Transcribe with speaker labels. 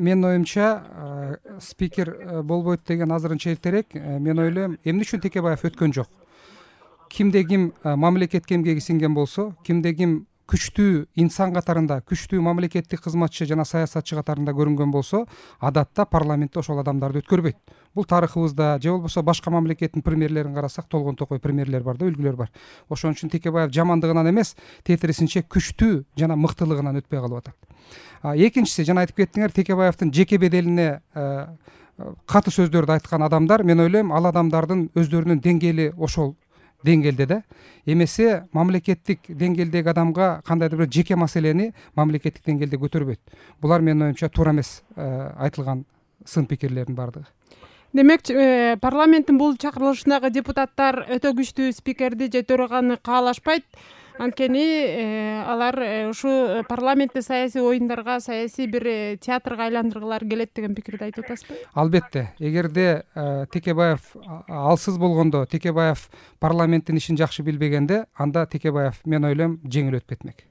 Speaker 1: менин оюмча спикер болбойт деген азырынча эртерээк. Мен ойлойм, эмне үчүн Текебаев өткөн жок? Кимде ким мамлекетке эмгеги сиңген болсо, кимде ким күчтүү инсан катарында, күчтүү мамлекеттик кызматчы жана саясатчы катарында көрүнгөн болсо, адатта парламентте ошол адамдарды өткөрбөйт. Бул тарыхыбызда же болбосо башка мамлекеттин премьерлерин карасак, толгон токой премьерлер бар да, үлгүлөр бар. Ошон үчүн Текебаев жамандыгынан эмес, тетирисинче күчтүү жана мыктылыгынан өтпөй калып атат. Экинчиси, жана айтып кеттиңер, Текебаевдин жеке беделине каты сөздөрдү айткан адамдар, мен ойлойм, ал адамдардын өздөрүнүн деңгээли ошол деңгээлде да. Эмесе мамлекеттик деңгээлдеги адамга кандайдыр бир жеке маселени мамлекеттик деңгээлде көтөрбөйт. Булар менин оюмча туура эмес айтылган сын пикирлердин бардыгы.
Speaker 2: Демек, парламенттин бул чакырылышындагы депутаттар өтө күчтүү спикерди же төраганы каалашпайт. Анткени алар ушу парламентте саясий оюндарга, саясий бир театрга айландыргылары келет деген пикирди айтып атасызбы?
Speaker 1: Албетте, эгерде Текебаев алсыз болгондо, Текебаев парламенттин ишин жакшы билбегенде, анда Текебаев, мен ойлойм, жеңил өтүп кетмек.